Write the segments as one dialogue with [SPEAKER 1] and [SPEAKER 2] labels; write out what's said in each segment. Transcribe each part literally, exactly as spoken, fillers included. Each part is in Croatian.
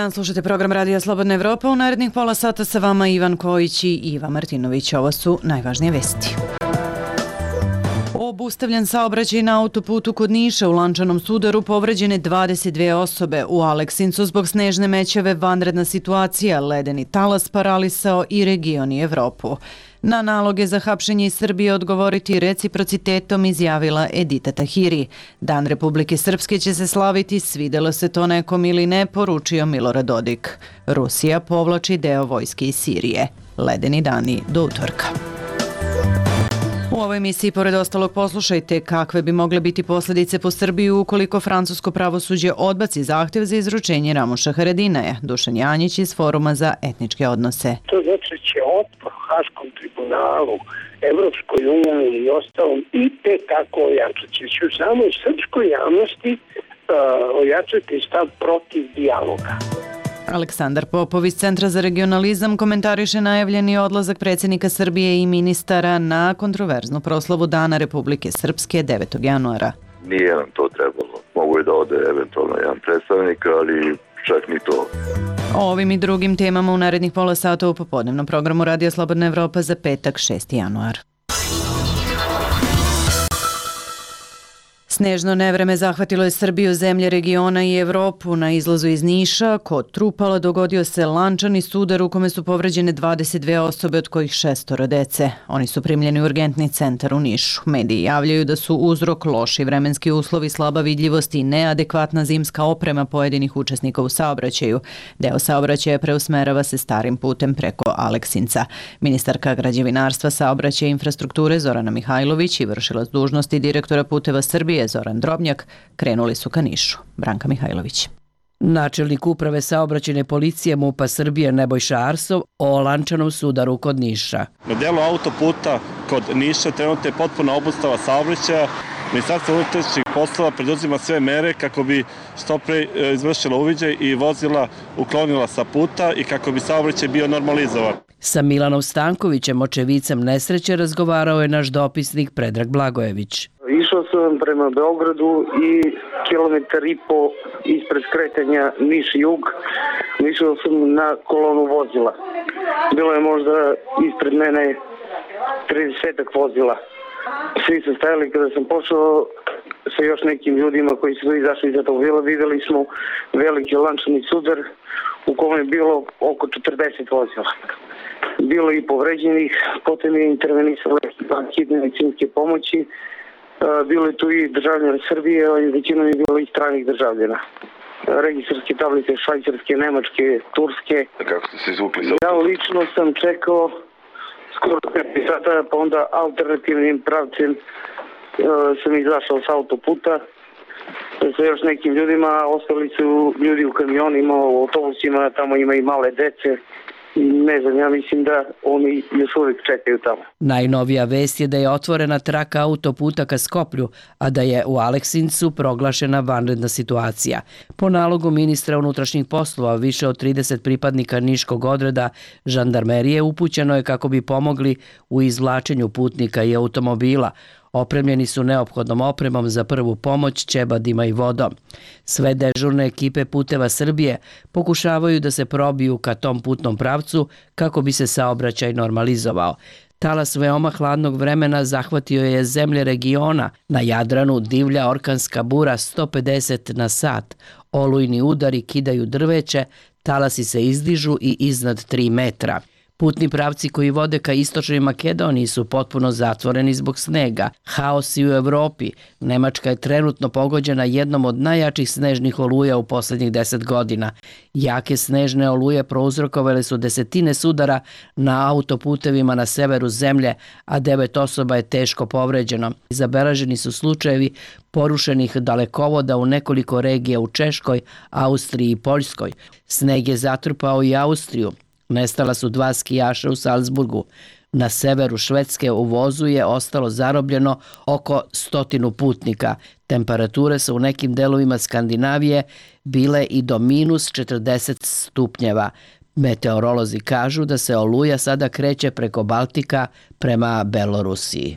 [SPEAKER 1] dan, slušate program Radija Slobodna Evropa. U narednih pola sata sa vama Ivan Kojić i Iva Martinović. Ovo su najvažnije vesti. Obustavljen saobraćaj na autoputu kod Niša, u lančanom sudaru povređene dvadeset dve osobe. U Aleksincu zbog snežne mećave vanredna situacija, ledeni talas paralisao i region i Evropu. Na naloge za hapšenje iz Srbije odgovoriti reciprocitetom, izjavila Edita Tahiri. Dan Republike Srpske će se slaviti, svidelo se to nekom ili ne, poručio Milorad Dodik. Rusija povlači deo vojske iz Sirije. Ledeni dani do utorka. U ovoj emisiji, pored ostalog, poslušajte kakve bi mogle biti posljedice po Srbiju ukoliko francusko pravosuđe odbaci zahtjev za izručenje Ramuša Haradinaja. Dušan Janjić iz Foruma za etničke odnose.
[SPEAKER 2] To znači će otpor Haškom tribunalu, Evropskoj uniji i ostalom i te tako ojačati. Će u samoj srpskoj javnosti uh, ojačati stav protiv dijaloga.
[SPEAKER 1] Aleksandar Popov iz Centra za regionalizam komentariše najavljeni odlazak predsjednika Srbije i ministara na kontroverznu proslavu Dana Republike Srpske devetog januara.
[SPEAKER 3] Nije nam to trebalo. Mogu je da ode eventualno jedan predstavnik, ali čak ni to.
[SPEAKER 1] O ovim i drugim temama u narednih pola sata u popodnevnom programu Radija Slobodna Evropa za petak šesti januar. Snežno nevreme zahvatilo je Srbiju, zemlje regiona i Evropu. Na izlazu iz Niša, kod Trupala, dogodio se lančani sudar u kome su povređene dvadeset dve osobe, od kojih šestoro dece. Oni su primljeni u urgentni centar u Nišu. Mediji javljaju da su uzrok loši vremenski uslovi, slaba vidljivost i neadekvatna zimska oprema pojedinih učesnika u saobraćaju. Deo saobraćaja preusmerava se starim putem preko Aleksinca. Ministarka građevinarstva, saobraćaja i infrastrukture Zorana Mihajlović i vršilac dužnosti direktora Puteva Srbije Zoran Drobnjak krenuli su ka Nišu. Branka Mihajlović.
[SPEAKER 4] Načelnik uprave saobraćajne policije MUP-a Srbije Nebojša Arsov o lančanom sudaru kod Niša.
[SPEAKER 5] Na delu autoputa kod Niša trenutno je potpuna obustava saobraćaja. Ministarstvo unutrašnjih poslova preduzima sve mere kako bi što pre izvršila uviđaj i vozila uklonila sa puta i kako bi saobraćaj bio normalizovan.
[SPEAKER 4] Sa Milanom Stankovićem, očevicem nesreće, razgovarao je naš dopisnik Predrag Blagojević.
[SPEAKER 2] Išao sam prema Beogradu i kilometar i po ispred skretanja Niš-Jug išao sam na kolonu vozila. Bilo je možda ispred mene tridesetak vozila. Svi su stajali. Kada sam pošao sa još nekim ljudima koji su izašli iz automobila, videli smo veliki lančani sudar u kome je bilo oko četrdeset vozila. Bilo i povređenih, potom je intervenisala hitne medicinske pomoći. Bilo je tu i državljana Srbije, ali većinom je bilo i stranih državljana. Registarske tablice švajcarske, nemačke, turske.
[SPEAKER 3] Kako ste se izvukli?
[SPEAKER 2] Ja lično sam čekao skoro pet sata, pa onda alternativnim pravcem uh, sam izašao s autoputa sa još nekim ljudima, ostali su ljudi u kamionima, u autobusima, tamo ima i male dece. Ne znam, ja mislim da oni još uvijek čekaju tamo.
[SPEAKER 4] Najnovija vest je da je otvorena traka autoputa ka Skoplju, a da je u Aleksincu proglašena vanredna situacija. Po nalogu ministra unutrašnjih poslova, više od trideset pripadnika niškog odreda žandarmerije upućeno je kako bi pomogli u izvlačenju putnika i automobila. Opremljeni su neophodnom opremom za prvu pomoć, ćebadima i vodom. Sve dežurne ekipe Puteva Srbije pokušavaju da se probiju ka tom putnom pravcu kako bi se saobraćaj normalizovao. Talas veoma hladnog vremena zahvatio je zemlje regiona. Na Jadranu divlja orkanska bura sto pedeset na sat. Olujni udari kidaju drveće, talasi se izdižu i iznad tri metra. Putni pravci koji vode ka istočnoj Makedoniji su potpuno zatvoreni zbog snega. Haos i u Evropi. Nemačka je trenutno pogođena jednom od najjačih snežnih oluja u posljednjih deset godina. Jake snežne oluje prouzrokovale su desetine sudara na autoputevima na severu zemlje, a devet osoba je teško povređeno. Zabeleženi su slučajevi porušenih dalekovoda u nekoliko regija u Češkoj, Austriji i Poljskoj. Sneg je zatrpao i Austriju. Nestala su dva skijaša u Salzburgu. Na severu Švedske u vozu je ostalo zarobljeno oko stotinu putnika. Temperature su u nekim delovima Skandinavije bile i do minus četrdeset stupnjeva. Meteorolozi kažu da se oluja sada kreće preko Baltika prema Belorusiji.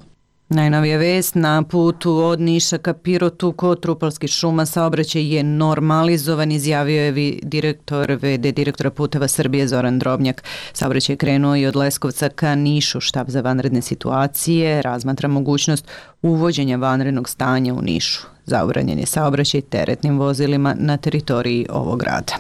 [SPEAKER 1] Najnovija vest, na putu od Niša ka Pirotu kod Trupalskih šuma saobraćaj je normalizovan, izjavio je direktor ve de direktora Puteva Srbije Zoran Drobnjak. Saobraćaj je krenuo i od Leskovca ka Nišu. Štab za vanredne situacije razmatra mogućnost uvođenja vanrednog stanja u Nišu. Zabranjen je saobraćaj teretnim vozilima na teritoriji ovog grada.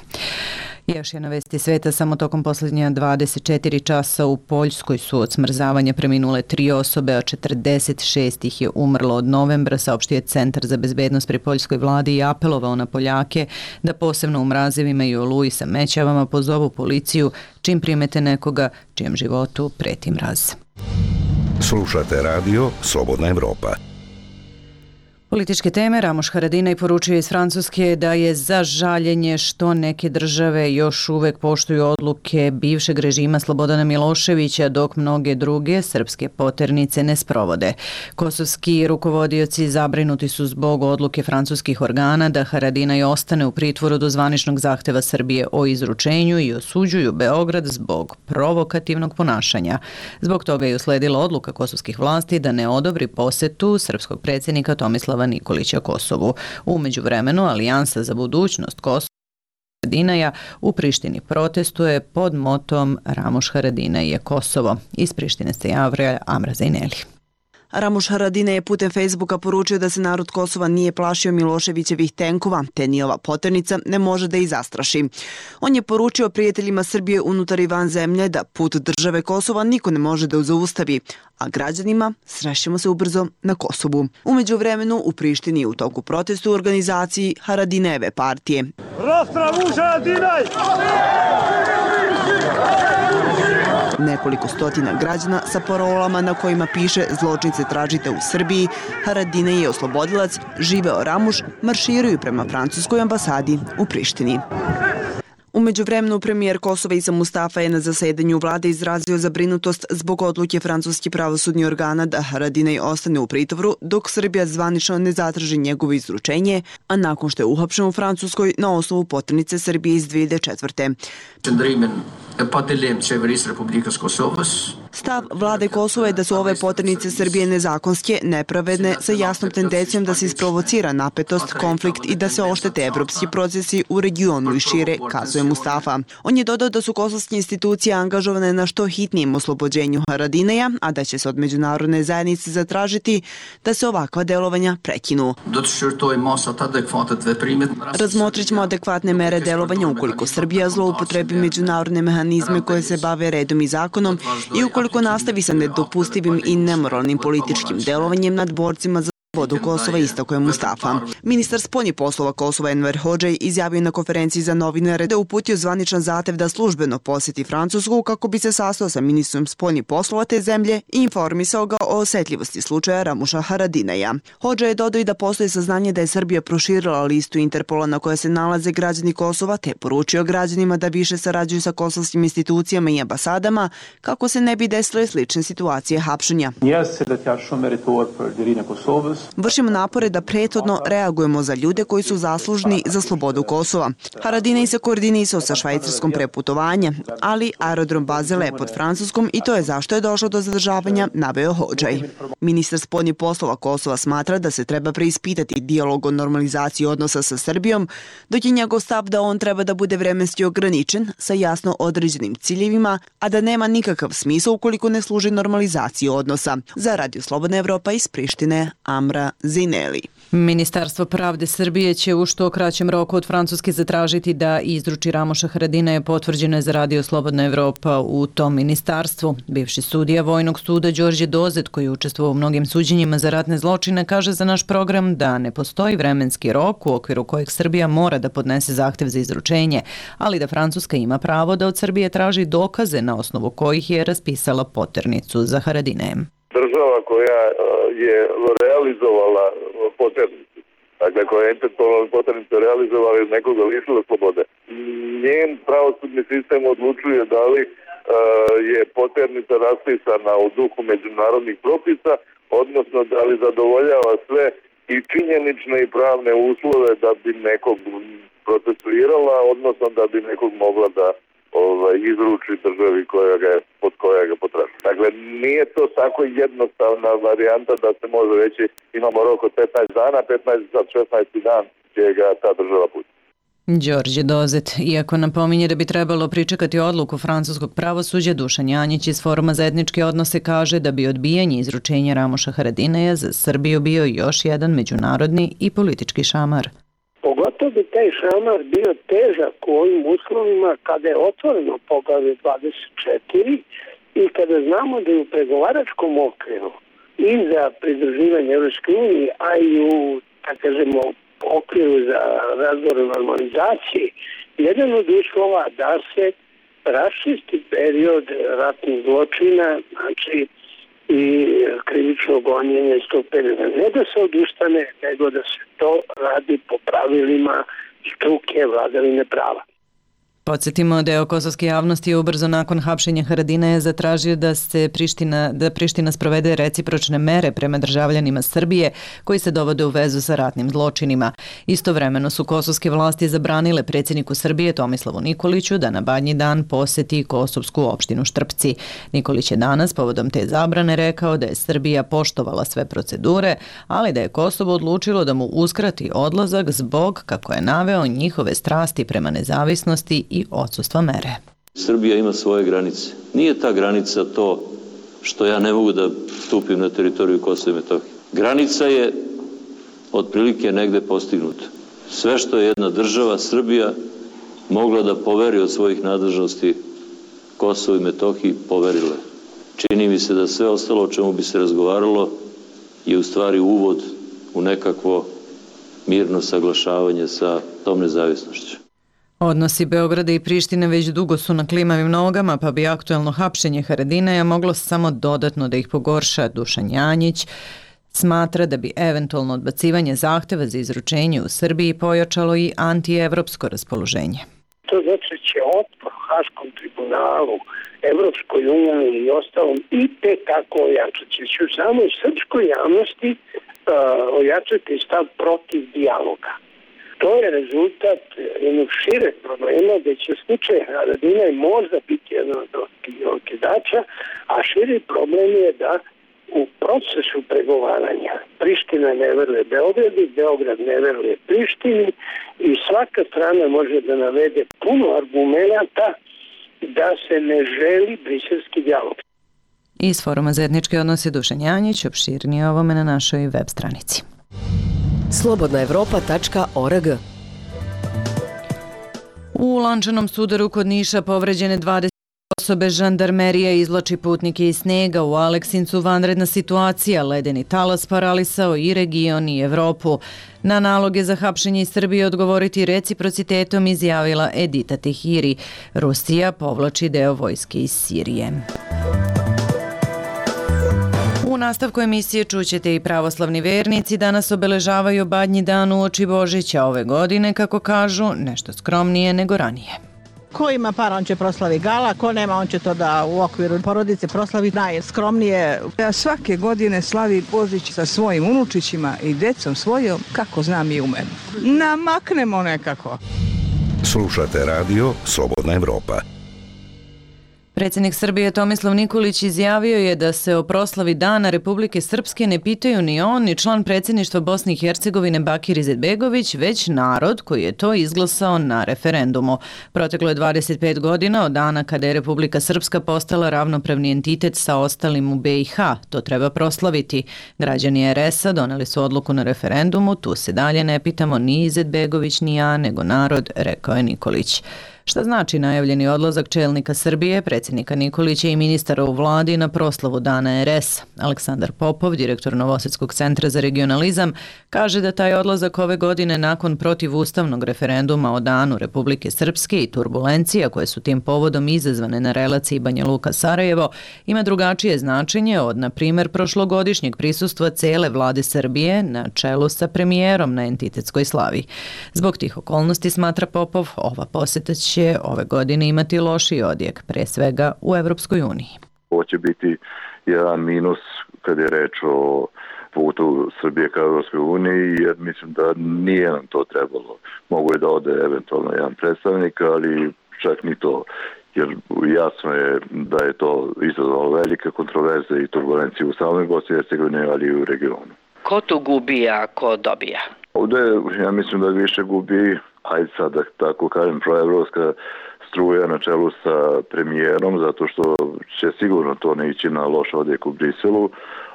[SPEAKER 1] Još jedna vest iz sveta, samo tokom posljednja dvadeset četiri časa u Poljskoj su od smrzavanja preminule tri osobe, a četrdeset šest ih je umrlo od novembra, saopštio je Centar za bezbednost pri poljskoj vladi i apelovao na Poljake da posebno u mrazevima i oluji sa mećavama pozovu policiju čim primete nekoga čijem životu preti mraz.
[SPEAKER 6] Slušate radio Slobodna Evropa.
[SPEAKER 1] Političke teme. Ramuš Haradinaj poručuje iz Francuske da je za žaljenje što neke države još uvek poštuju odluke bivšeg režima Slobodana Miloševića, dok mnoge druge srpske poternice ne sprovode. Kosovski rukovodioci zabrinuti su zbog odluke francuskih organa da Haradinaj ostane u pritvoru do zvaničnog zahteva Srbije o izručenju i osuđuju Beograd zbog provokativnog ponašanja. Zbog toga je usledila odluka kosovskih vlasti da ne odobri posetu srpskog predsjednika Tomislava Nikolića Kosovu. U međuvremenu Alijansa za budućnost Kosova Haradinaja u Prištini protestuje pod motom Ramuš Haradinaj je Kosovo. Iz Prištine se javlja Amra Zajneli.
[SPEAKER 7] Ramuš Haradinaj je putem Facebooka poručio da se narod Kosova nije plašio Miloševićevih tenkova, te ni ova poternica ne može da ih zastraši. On je poručio prijateljima Srbije unutar i van zemlje da put države Kosova niko ne može da zaustavi, a građanima srećemo se ubrzo na Kosovu. Umeđu vremenu u Prištini je u toku protestu u organizaciji Haradinajeve partije.
[SPEAKER 8] Ramuš Haradinaj!
[SPEAKER 7] Nekoliko stotina građana sa parolama na kojima piše zločince tražite u Srbiji, Haradinaj je oslobodilac, živeo Ramuš, marširaju prema francuskoj ambasadi u Prištini. U međuvremenu premijer Kosova Isa Mustafa je na zasedanju vlade izrazio zabrinutost zbog odluke francuskih pravosudnih organa da Haradinaj ostane u pritvoru dok Srbija zvanično ne zatraži njegovo izručenje, a nakon što je uhapšen u Francuskoj na osnovu poternice Srbije iz dve hiljade četvrte. Stav vlade Kosova je da su ove poternice Srbije nezakonske, nepravedne, sa jasnom tendencijom da se isprovocira napetost, konflikt i da se oštete evropski procesi u regionu i šire, kazuje Mustafa. On je dodao da su kosovske institucije angažovane na što hitnijem oslobođenju Haradinaja, a da će se od međunarodne zajednice zatražiti da se ovakva delovanja prekinu. Razmotrit ćemo adekvatne mere delovanja ukoliko Srbija zloupotrebi međunarodne mehanizme koje se bave redom i zakonom i ukoliko nastavi sa nedopustivim i nemoralnim političkim delovanjem nad borcima za slobodu Kosova, istakao je Mustafa. Ministar spoljnih poslova Kosova Enver Hodžaj izjavio na konferenciji za novinare da je uputio zvaničan zahtev da službeno poseti Francusku kako bi se sastao sa ministrom spoljnih poslova te zemlje i informisao ga o osetljivosti slučaja Ramuša Haradinaja. Hodžaj je dodao i da postoji saznanje da je Srbija proširila listu Interpola na kojoj se nalaze građani Kosova, te poručio građanima da više sarađuju sa kosovskim institucijama i ambasadama kako se ne bi desile slične situacije hapšenja. Vršimo napore da prethodno reagujemo za ljude koji su zaslužni za slobodu Kosova. Haradinaj se koordinisao sa švajcarskom preputovanja, ali aerodrom Basel je pod Francuskom i to je zašto je došlo do zadržavanja, naveo Hodžaj. Ministar spoljnih poslova Kosova smatra da se treba preispitati dijalog o normalizaciji odnosa sa Srbijom, dok je njegov stav da on treba da bude vremenski ograničen sa jasno određenim ciljevima, a da nema nikakav smisla ukoliko ne služi normalizaciji odnosa. Za Radio Slobodna Evropa iz Prištine, Amra Zajneli.
[SPEAKER 1] Ministarstvo pravde Srbije će u što kraćem roku od Francuske zatražiti da izruči Ramuša Haradinaja, potvrđeno je za Radio Slobodna Evropa u tom ministarstvu. Bivši sudija Vojnog suda Đorđe Dozet, koji je učestvovao u mnogim suđenjima za ratne zločine, kaže za naš program da ne postoji vremenski rok u okviru kojeg Srbija mora da podnese zahtev za izručenje, ali da Francuska ima pravo da od Srbije traži dokaze na osnovu kojih je raspisala poternicu za Haradinajem.
[SPEAKER 3] Država koja je realizovala poternicu, dakle koja je Interpolova poternicu realizovala iz nekoga lišila slobode. Njen pravosudni sistem odlučuje da li uh, je poternica raspisana u duhu međunarodnih propisa, odnosno da li zadovoljava sve i činjenične i pravne uslove da bi nekog procesuirala, odnosno da bi nekog mogla da ovaj, ovaj, izruči državi koja ga je, pod koja ga potražuje. Dakle, nije to tako jednostavna varijanta da se može reći imamo rok od petnaest dana, petnaest za šesnaesti dan će ga ta država pustiti.
[SPEAKER 1] Đorđe Dozet, iako napominje da bi trebalo pričekati odluku francuskog pravosuđa, Dušan Janjić iz Foruma za etničke odnose kaže da bi odbijanje izručenja Ramoša Haradinaja za Srbiju bio još jedan međunarodni i politički šamar.
[SPEAKER 9] Pogotovo bi taj šamar bio težak u ovim uslovima kada je otvoreno poglavlje dvadeset četiri i kada znamo da je u pregovaračkom okviru i za pridruživanje Evropske unije, a i u, tako kažemo, okviru za razgovor o normalizaciji, jedan od uslova da se raščisti period ratnih zločina, znači i krivično gonjenje iz tog perioda. Ne da se odustane, nego da se to radi po pravilima struke vladavine prava.
[SPEAKER 1] Podsjetimo, deo kosovske javnosti je ubrzo nakon hapšenja Haradinaja zatražio da se Priština, da Priština sprovede recipročne mere prema državljanima Srbije koji se dovode u vezu sa ratnim zločinima. Istovremeno su kosovske vlasti zabranile predsjedniku Srbije Tomislavu Nikoliću da na Badnji dan poseti kosovsku opštinu Štrpci. Nikolić je danas povodom te zabrane rekao da je Srbija poštovala sve procedure, ali da je Kosovo odlučilo da mu uskrati odlazak zbog, kako je naveo, njihove strasti prema nezavisnosti i odsustva mere.
[SPEAKER 10] Srbija ima svoje granice. Nije ta granica to što ja ne mogu da stupim na teritoriju Kosova i Metohije. Granica je otprilike negde postignuta. Sve što je jedna država, Srbija, mogla da poveri od svojih nadležnosti Kosovo i Metohiji, poverile. Čini mi se da sve ostalo o čemu bi se razgovaralo je u stvari uvod u nekakvo mirno saglašavanje sa tom nezavisnošću.
[SPEAKER 1] Odnosi Beograda i Prištine već dugo su na klimavim nogama, pa bi aktuelno hapšenje Haradinaja moglo samo dodatno da ih pogorša. Dušan Janjić smatra da bi eventualno odbacivanje zahteva za izručenje u Srbiji pojačalo i antievropsko raspoloženje.
[SPEAKER 9] To znači će otpor Haškom tribunalu, Evropskoj uniji i ostalom i te kako ojačati. Će u samoj srpskoj javnosti uh, ojačati stav protiv dijaloga. To je rezultat jednog šireg problema gdje će slučaj Haradinaj možda biti jedan od okidača, a širi problem je da u procesu pregovaranja Priština ne veruje Beogradu, Beograd ne veruje Prištini i svaka strana može da navede puno argumenata da se ne želi briselski dijalog.
[SPEAKER 1] Iz Foruma za etničke odnose Dušan Janjić, opširnije ovome na našoj web stranici.
[SPEAKER 11] slobodna evropa tačka org.
[SPEAKER 1] U lančanom sudaru kod Niša povređene dvadeset osobe, žandarmerija izvlači putnike iz snega. U Aleksincu vanredna situacija, ledeni talas paralisao i region i Evropu. Na naloge za hapšenje iz Srbije odgovoriti reciprocitetom izjavila Edita Tehiri. Rusija povlači deo vojske iz Sirije. U nastavku emisije čućete i pravoslavni vernici danas obeležavaju Badnji dan uoči Božića, ove godine, kako kažu, nešto skromnije nego ranije.
[SPEAKER 12] Ko ima para, on će proslavi gala, ko nema, on će to da u okviru porodice proslavi najskromnije.
[SPEAKER 13] Ja svake godine slavi Božić sa svojim unučićima i decom svojom, kako znam i umem. Namaknemo nekako.
[SPEAKER 6] Slušate radio Slobodna Evropa.
[SPEAKER 1] Predsjednik Srbije Tomislav Nikolić izjavio je da se o proslavi Dana Republike Srpske ne pitaju ni on, ni član predsjedništva Bosne i Hercegovine Bakir Izetbegović, već narod koji je to izglasao na referendumu. Proteklo je dvadeset pet godina od dana kada je Republika Srpska postala ravnopravni entitet sa ostalim u be i ha. To treba proslaviti. Građani er es a doneli su odluku na referendumu, tu se dalje ne pitamo ni Izetbegović ni ja, nego narod, rekao je Nikolić. Šta znači najavljeni odlazak čelnika Srbije, predsjednika Nikolića i ministara u vladi na proslavu Dana er es a? Aleksandar Popov, direktor Novosadskog centra za regionalizam, kaže da taj odlazak ove godine nakon protivustavnog referenduma o Danu Republike Srpske i turbulencija koje su tim povodom izazvane na relaciji Banja Luka-Sarajevo ima drugačije značenje od, na primjer, prošlogodišnjeg prisustva cele vlade Srbije na čelu sa premijerom na entitetskoj slavi. Zbog tih okolnosti, smatra Popov, ova poseta će ove godine imati lošiji odjek, pre svega u Evropskoj uniji.
[SPEAKER 3] Ovo će biti jedan minus kad je reč o putu Srbije ka Evropskoj uniji, jer mislim da nije nam to trebalo. Mogu je da ode eventualno jedan predstavnik, ali čak ni to. jer jasno je da je to izazvalo velike kontroverze i turbulencije u samoj Bosni i Hercegovini, ali i u regionu.
[SPEAKER 4] Ko tu gubi, a ko dobija?
[SPEAKER 3] Ovdje ja mislim da više gubi, ajde sad da tako kažem, proevropska struja na čelu sa premijerom, zato što će sigurno to ne ići na loš odjek u Briselu,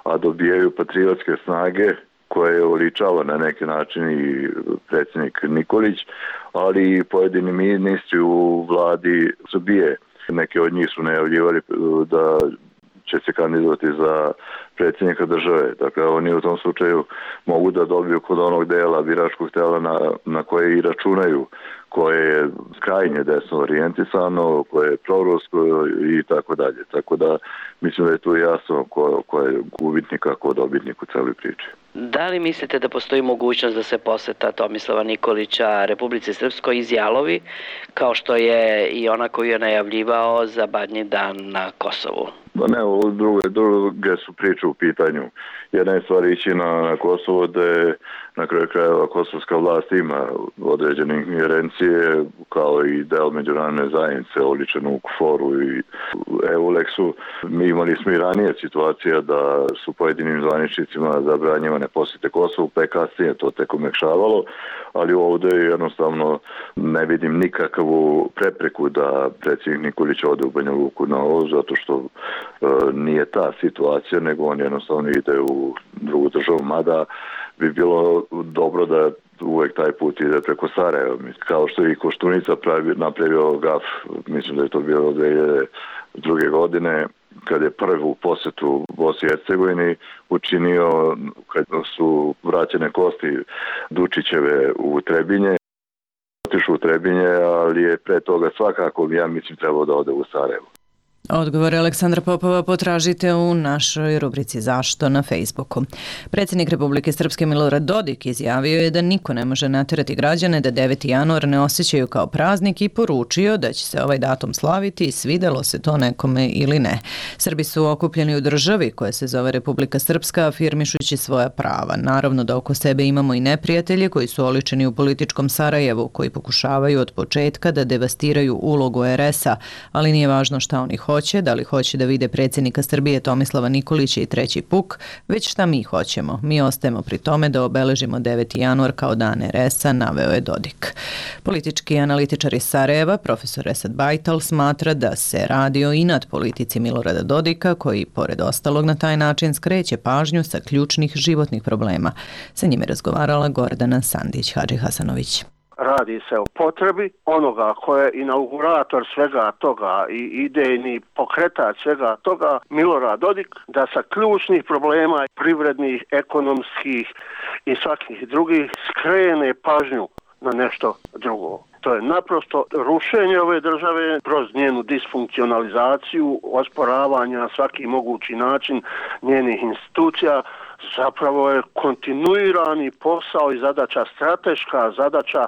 [SPEAKER 3] a dobijaju patriotske snage koje oličava na neki način i predsjednik Nikolić, ali i pojedini ministri u vladi Srbije. Neki od njih su najavljivali da će se kandidovati za predsjednika države. Dakle, oni u tom slučaju mogu da dobiju kod onog dela biračkog tela na, na koje i računaju, koje je krajnje desno orijentisano, koje je prorusko i tako dalje. Tako da mislim da je tu jasno ko, ko je gubitnik, a ko dobitnik u celoj priči.
[SPEAKER 4] Da li mislite da postoji mogućnost da se poseta Tomislava Nikolića Republici Srpskoj iz Jalovi, kao što je i ona koju je najavljivao za Badnji dan na Kosovu?
[SPEAKER 3] Da ne, druge, druge su priče u pitanju. Jedna je stvar ići na, na Kosovo, da je na kraju krajeva kosovska vlast ima određene ingerencije, kao i deo međunarodne zajednice, oličenu u KFOR-u i EULEX-u. Mi imali smo i ranije situacija da su pojedinim zvaničnicima zabranjivane posjete Kosovu, pa je kasnije to tek umekšavalo, ali ovdje jednostavno ne vidim nikakvu prepreku da predsjednik Nikolić ode u Banja Luku na ovo, zato što e, nije ta situacija, nego on jednostavno ide u drugu državu, mada bi bilo dobro da uvek taj put ide preko Sarajeva. Kao što je i Koštunica pravi, napravio gaf, mislim da je to bilo dvije hiljade druge. godine, kad je prvu posjetu Bosni i Hercegovini učinio kad su vraćene kosti Dučićeve u Trebinje. Otišao u Trebinje, ali je pre toga svakako, ja mislim, trebao da ode u Sarajevo.
[SPEAKER 1] Odgovor Aleksandra Popova potražite u našoj rubrici Zašto na Facebooku. Predsjednik Republike Srpske Milorad Dodik izjavio je da niko ne može natjerati građane da deveti januar ne osjećaju kao praznik i poručio da će se ovaj datum slaviti, svidelo se to nekome ili ne. Srbi su okupljeni u državi koja se zove Republika Srpska, afirmišući svoja prava. Naravno da oko sebe imamo i neprijatelje koji su oličeni u političkom Sarajevu, koji pokušavaju od početka da devastiraju ulogu er es a, ali nije važno šta oni hoće, da li hoće da vide predsjednika Srbije Tomislava Nikolića i treći puk, već šta mi hoćemo. Mi ostajemo pri tome da obeležimo deveti januar kao dan er es a, naveo je Dodik. Politički analitičar iz Sarajeva, profesor Esad Bajtal, smatra da se radi o inat politici Milorada Dodika, koji, pored ostalog, na taj način skreće pažnju sa ključnih životnih problema. Sa njime razgovarala Gordana Sandić Hadži Hasanović.
[SPEAKER 9] Radi se o potrebi onoga ko je inaugurator svega toga i idejni pokretač svega toga, Milorad Dodik, da sa ključnih problema privrednih, ekonomskih i svakih drugih skrene pažnju na nešto drugo. To je naprosto rušenje ove države kroz njenu disfunkcionalizaciju, osporavanja na svaki mogući način njenih institucija. Zapravo je kontinuirani posao i zadaća, strateška zadaća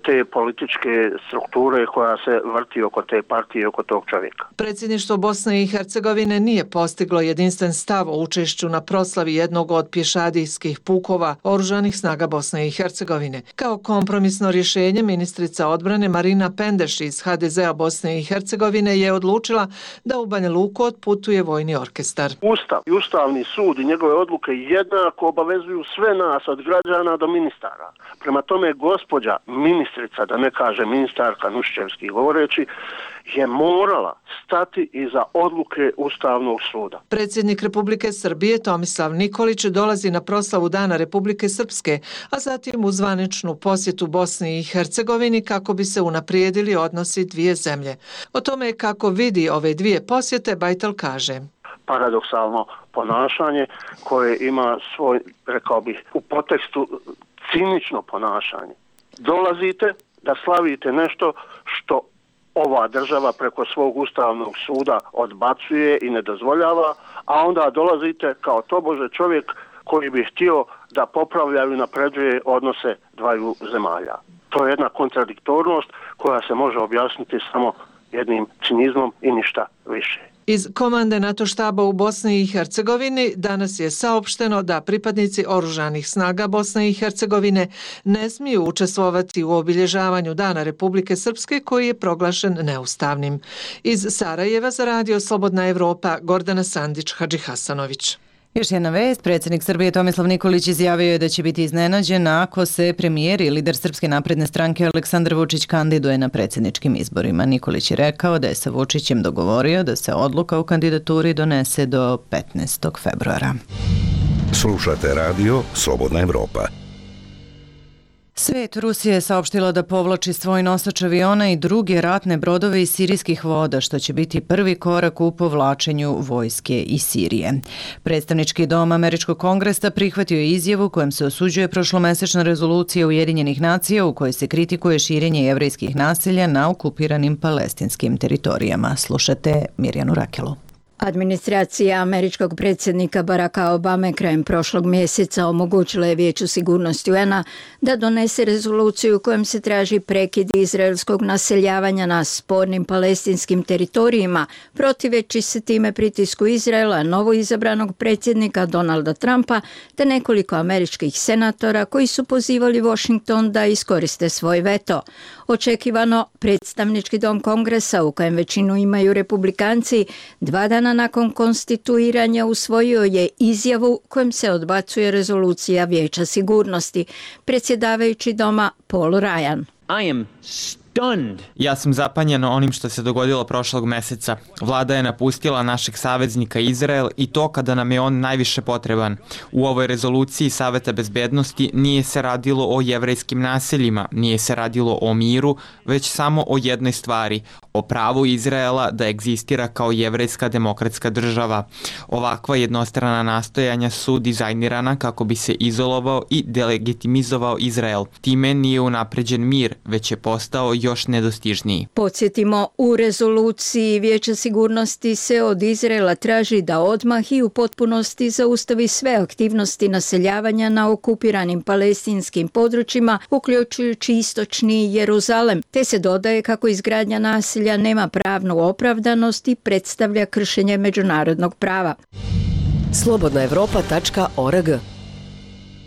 [SPEAKER 9] te političke strukture koja se vrti oko te partije, oko tog čovjeka.
[SPEAKER 14] Predsjedništvo Bosne i Hercegovine nije postiglo jedinstven stav o učešću na proslavi jednog od pješadijskih pukova Oružanih snaga Bosne i Hercegovine. Kao kompromisno rješenje ministrica odbrane Marina Pendeš iz ha de ze a Bosne i Hercegovine je odlučila da u Banja Luku otputuje vojni orkestar.
[SPEAKER 9] Ustav i Ustavni sud i njegove odluke jednako obavezuju sve nas od građana do ministara. Prema tome gospođa ministrica, da ne kaže ministarka Nuščevski govoreći, je morala stati iza odluke Ustavnog suda.
[SPEAKER 14] Predsjednik Republike Srbije Tomislav Nikolić dolazi na proslavu Dana Republike Srpske, a zatim u zvaničnu posjetu Bosni i Hercegovini kako bi se unaprijedili odnosi dvije zemlje. O tome kako vidi ove dvije posjete Bajtal kaže.
[SPEAKER 9] Paradoksalno ponašanje koje ima svoj, rekao bih, u podtekstu cinično ponašanje. Dolazite da slavite nešto što ova država preko svog Ustavnog suda odbacuje i ne dozvoljava, a onda dolazite kao tobože čovjek koji bi htio da popravljaju i napređuje odnose dvaju zemalja. To je jedna kontradiktornost koja se može objasniti samo jednim cinizmom i ništa više.
[SPEAKER 14] Iz komande NATO štaba u Bosni i Hercegovini danas je saopšteno da pripadnici oružanih snaga Bosne i Hercegovine ne smiju učestvovati u obilježavanju Dana Republike Srpske koji je proglašen neustavnim. Iz Sarajeva za Radio Slobodna Evropa, Gordana Sandić, Hadži Hasanović.
[SPEAKER 1] Još jedna vest, predsjednik Srbije Tomislav Nikolić izjavio je da će biti iznenađen ako se premijer i lider Srpske napredne stranke Aleksandar Vučić kandiduje na predsjedničkim izborima. Nikolić je rekao da je sa Vučićem dogovorio da se odluka o kandidaturi donese do petnaestog februara.
[SPEAKER 6] Slušate radio Slobodna Evropa.
[SPEAKER 1] Svet Rusije je saopštila da povlači svoj nosač aviona i druge ratne brodove iz sirijskih voda, što će biti prvi korak u povlačenju vojske iz Sirije. Predstavnički dom Američkog kongresa prihvatio je izjavu kojem se osuđuje prošlomesečna rezolucija Ujedinjenih nacija u kojoj se kritikuje širenje jevrejskih naselja na okupiranim palestinskim teritorijama. Slušate Mirjanu Rakelu.
[SPEAKER 15] Administracija američkog predsjednika Baracka Obame krajem prošlog mjeseca omogućila je Vijeću sigurnosti U N A da donese rezoluciju kojom se traži prekid izraelskog naseljavanja na spornim palestinskim teritorijima, protiveći se time pritisku Izraela, novoizabranog predsjednika Donalda Trumpa te nekoliko američkih senatora koji su pozivali Washington da iskoriste svoj veto. Očekivano, predstavnički dom Kongresa, u kojem većinu imaju republikanci, dva dana nakon konstituiranja usvojio je izjavu kojom se odbacuje rezolucija Vijeća sigurnosti. Predsjedavajući doma Paul Ryan.
[SPEAKER 16] I am stunned. Ja sam zapanjen onim što se dogodilo prošlog meseca. Vlada je napustila našeg saveznika Izrael i to kada nam je on najviše potreban. U ovoj rezoluciji Saveta bezbednosti nije se radilo o jevrejskim naseljima, nije se radilo o miru, već samo o jednoj stvari, o pravu Izraela da egzistira kao jevrejska demokratska država. Ovakva jednostrana nastojanja su dizajnirana kako bi se izolovao i delegitimizovao Izrael. Time nije unapređen mir, već je postao još nedostižniji.
[SPEAKER 15] Podsjetimo, u rezoluciji Vijeća sigurnosti se od Izraela traži da odmah i u potpunosti zaustavi sve aktivnosti naseljavanja na okupiranim palestinskim područjima, uključujući istočni Jeruzalem, te se dodaje kako izgradnja naselja nema pravnu opravdanost i predstavlja kršenje međunarodnog prava.
[SPEAKER 11] slobodna evropa tačka org.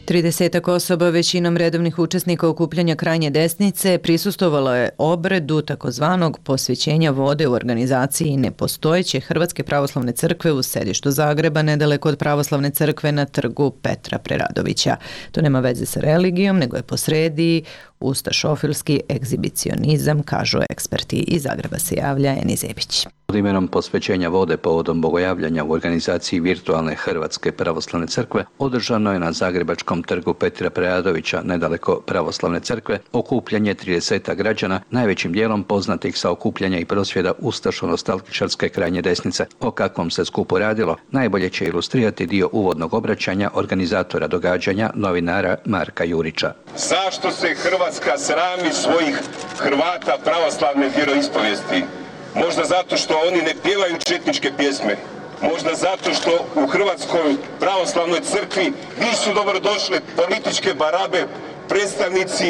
[SPEAKER 1] tridesetak osoba, većinom redovnih učesnika okupljanja krajnje desnice, prisustvovalo je obredu takozvanog posvećenja vode u organizaciji nepostojeće Hrvatske pravoslavne crkve u sedištu Zagreba, nedaleko od pravoslavne crkve na trgu Petra Preradovića. To nema veze sa religijom, nego je posredi ustašofilski egzibicionizam, kažu eksperti. Iz Zagreba se javlja Eni Zebić.
[SPEAKER 17] Pod imenom posvećenja vode povodom bogojavljanja u organizaciji virtualne Hrvatske pravoslavne crkve održano je na zagrebačkom trgu Petra Preradovića, nedaleko pravoslavne crkve, okupljanje tridesetak građana, najvećim dijelom poznatih sa okupljanja i prosvjeda ustašo-nostalgičarske krajnje desnice. O kakvom se skupu radilo, najbolje će ilustrirati dio uvodnog obraćanja organizatora događanja, novinara Marka Jurića.
[SPEAKER 18] Zašto se Hrvatska srami svojih Hrvata pravoslavne vjeroispovijesti? Možda zato što oni ne pjevaju četničke pjesme. Možda zato što u Hrvatskoj pravoslavnoj crkvi nisu dobrodošle političke barabe, predstavnici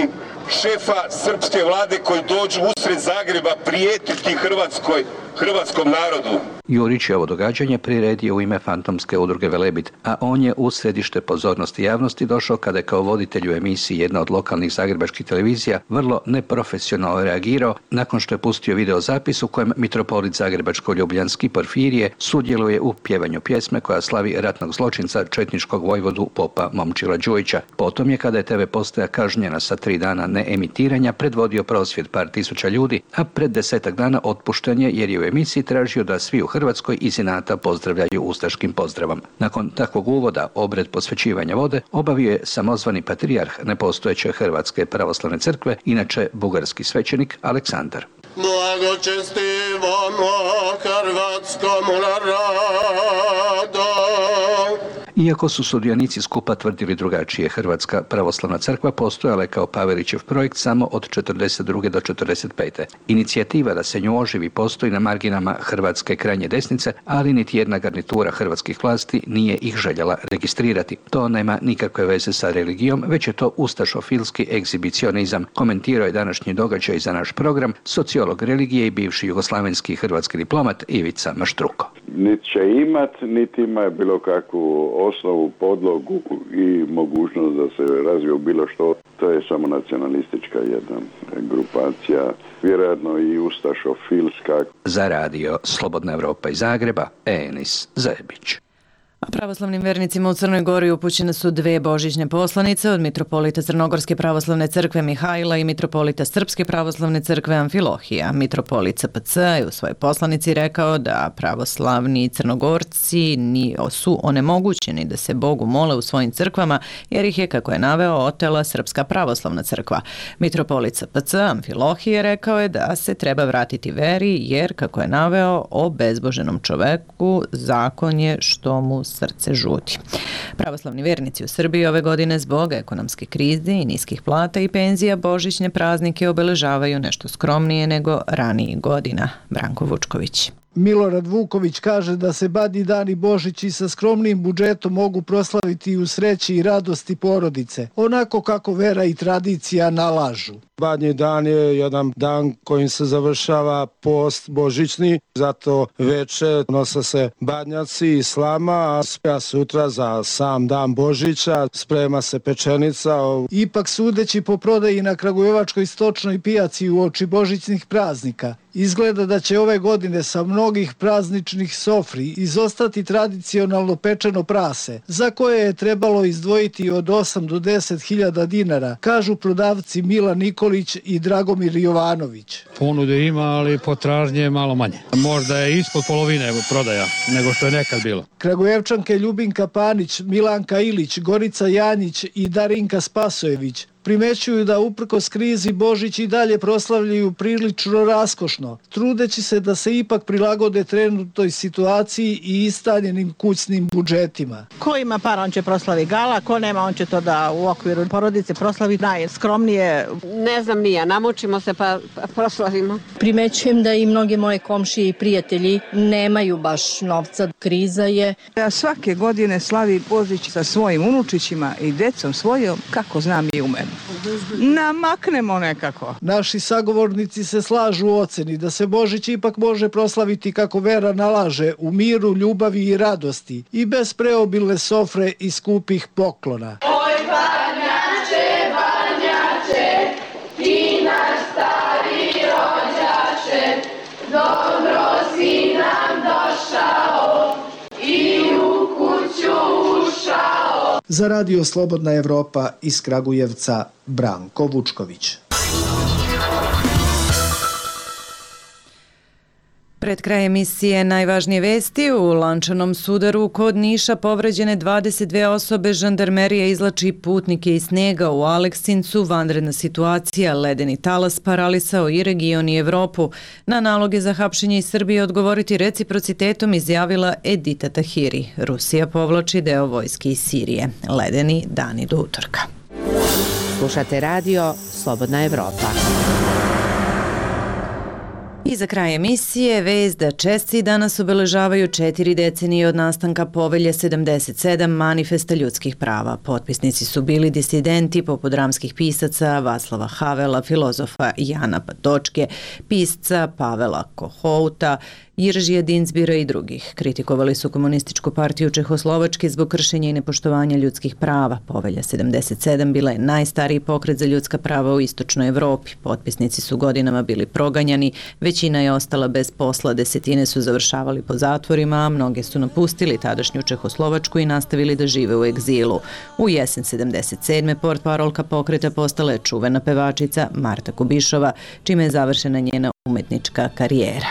[SPEAKER 18] šefa srpske vlade koji dođu usred Zagreba prijetiti Hrvatskoj, hrvatskom narodu.
[SPEAKER 17] Jurić je ovo događanje priredio u ime fantomske udruge Velebit, a on je u središte pozornosti javnosti došao kada je kao voditelj u emisiji jedna od lokalnih zagrebačkih televizija vrlo neprofesionalno reagirao nakon što je pustio video zapis u kojem mitropolit zagrebačko-ljubljanski Porfirije sudjeluje u pjevanju pjesme koja slavi ratnog zločinca četničkog vojvodu popa Momčila Đujića. Potom je, kada je te ve postaja kažnjena sa tri dana neemitiranja, predvodio prosvjed par tisuća ljudi, a pred desetak dana otpušten je jer je u emisiji tražio da svi u Hrvatskoj iz inata pozdravljaju ustaškim pozdravom. Nakon takvog uvoda obred posvećivanja vode obavio je samozvani patrijarh nepostojeće Hrvatske pravoslavne crkve, inače bugarski svećenik Aleksandar.
[SPEAKER 19] Blagočestivamo hrvatskom narodu.
[SPEAKER 17] Iako su sudionici skupa tvrdili drugačije, Hrvatska pravoslavna crkva postojala je kao Pavelićev projekt samo od četrdeset druge do četrdeset pete. Inicijativa da se nju oživi postoji na marginama Hrvatske krajnje desnice, ali niti jedna garnitura hrvatskih vlasti nije ih željela registrirati. To nema nikakve veze sa religijom, već je to ustašofilski egzibicionizam, komentirao je današnji događaj za naš program sociolog religije i bivši jugoslavenski hrvatski diplomat Ivica Maštruko.
[SPEAKER 20] niti će imat, niti ima bilo kakvu osnovu, podlogu i mogućnost da se razvije bilo što. To je samo nacionalistička jedna grupacija, vjerojatno i ustašofilska.
[SPEAKER 17] Za radio Slobodna Evropa iz Zagreba, Enis Zebić.
[SPEAKER 1] A pravoslavnim vernicima u Crnoj Gori upućene su dve božićne poslanice od mitropolita Crnogorske pravoslavne crkve Mihajla i mitropolita Srpske pravoslavne crkve Amfilohija. Mitropolit C P C je u svojoj poslanici rekao da pravoslavni Crnogorci su onemogućeni da se Bogu mole u svojim crkvama jer ih je, kako je naveo, otela Srpska pravoslavna crkva. Mitropolit C P C Amfilohije rekao je da se treba vratiti veri jer, kako je naveo, o bezboženom čoveku zakon je što mu srce žudi. Pravoslavni vernici u Srbiji ove godine zbog ekonomske krize i niskih plata i penzija božićne praznike obeležavaju nešto skromnije nego ranijih godina. Branko Vučković.
[SPEAKER 21] Milorad Vuković kaže da se Badnji dan i Božić i sa skromnim budžetom mogu proslaviti u sreći i radosti porodice, onako kako vera i tradicija nalažu.
[SPEAKER 22] Badnji dan je jedan dan kojim se završava post božićni, zato veče nose se badnjaci i slama, a sutra za sam dan Božića sprema se pečenica.
[SPEAKER 21] Ipak, sudeći po prodaji na Kragujevačkoj stočnoj pijaci u oči božićnih praznika, izgleda da će ove godine sa mnogih prazničnih sofri izostati tradicionalno pečeno prase, za koje je trebalo izdvojiti od osam do deset hiljada dinara, kažu prodavci Milan Nikolić i Dragomir Jovanović.
[SPEAKER 23] Ponude ima, ali potražnje je malo manje. Možda je ispod polovine prodaja nego što je nekad bilo.
[SPEAKER 21] Kragujevčanke Ljubinka Panić, Milanka Ilić, Gorica Janjić i Darinka Spasojević primećuju da uprkos krizi Božić i dalje proslavljaju prilično raskošno, trudeći se da se ipak prilagode trenutnoj situaciji i istaljenim kućnim budžetima.
[SPEAKER 12] Ko ima para, on će proslavi gala, ko nema, on će to da u okviru porodice proslavi najskromnije.
[SPEAKER 24] Ne znam nija, namučimo se pa proslavimo.
[SPEAKER 25] Primećujem da i mnoge moje komšije i prijatelji nemaju baš novca. Kriza je.
[SPEAKER 13] Ja svake godine slavi Božić sa svojim unučićima i decom svojom, kako znam i umem. Namaknemo nekako.
[SPEAKER 21] Naši sagovornici se slažu u oceni da se Božić ipak može proslaviti kako vera nalaže, u miru, ljubavi i radosti i bez preobilne sofre i skupih poklona.
[SPEAKER 26] Oj, Badnjače, Badnjače, ti naš stari rođače, dobro si nam došao i u kuću ušao.
[SPEAKER 21] Za radio Slobodna Evropa iz Kragujevca, Branko Vučković. Pred kraj emisije najvažnije vesti: u lančanom sudaru kod Niša povređene dvadeset dve osobe, žandarmerija izlači putnike iz snega. U Aleksincu vanredna situacija, ledeni talas paralisao i region i Evropu. Na naloge za hapšenje iz Srbije odgovoriti reciprocitetom izjavila Edita Tahiri. Rusija povlači deo vojske iz Sirije. Ledeni dani do utorka.
[SPEAKER 27] Slušate radio Slobodna Evropa.
[SPEAKER 1] I za kraj emisije vest da Česi danas obeležavaju četiri decenije od nastanka Povelje sedamdeset sedam, manifesta ljudskih prava. Potpisnici su bili disidenti poput dramskih pisaca Václava Havela, filozofa Jana Patočke, pisca Pavela Kohouta, Jiržija Dinzbira i drugih. Kritikovali su komunističku partiju Čehoslovačke zbog kršenja i nepoštovanja ljudskih prava. Povelja sedamdeset sedam bila je najstariji pokret za ljudska prava u istočnoj Evropi. Potpisnici su godinama bili proganjani, većina je ostala bez posla, desetine su završavali po zatvorima, a mnoge su napustili tadašnju Čehoslovačku i nastavili da žive u egzilu. U jesen sedamdeset sedme portparolka pokreta postala je čuvena pevačica Marta Kubišova, čime je završena njena umetnička karijera.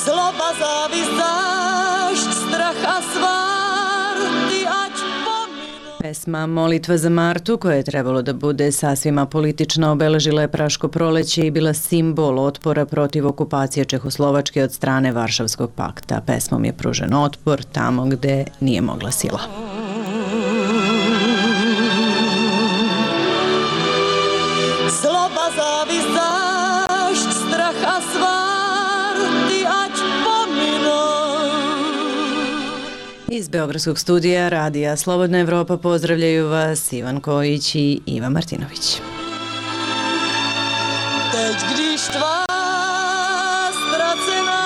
[SPEAKER 26] Zloba, zavist, zašt, straha, svarti, ać pominu.
[SPEAKER 1] Pesma Molitva za Martu, koja je trebalo da bude sasvima politična, obeležila je Praško proleće i bila simbol otpora protiv okupacije Čehoslovačke od strane Varšavskog pakta. Pesmom je pružen otpor tamo gde nije mogla sila.
[SPEAKER 26] Zloba, zavist, zašt, straha, svarti, ać pominu.
[SPEAKER 1] Iz Beogradskog studija radija Slobodna Evropa pozdravljaju vas Ivan Kojić i Iva Martinović.
[SPEAKER 26] Teď, když tvá ztracená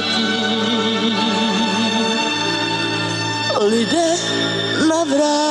[SPEAKER 26] vrati. Lide na vrati.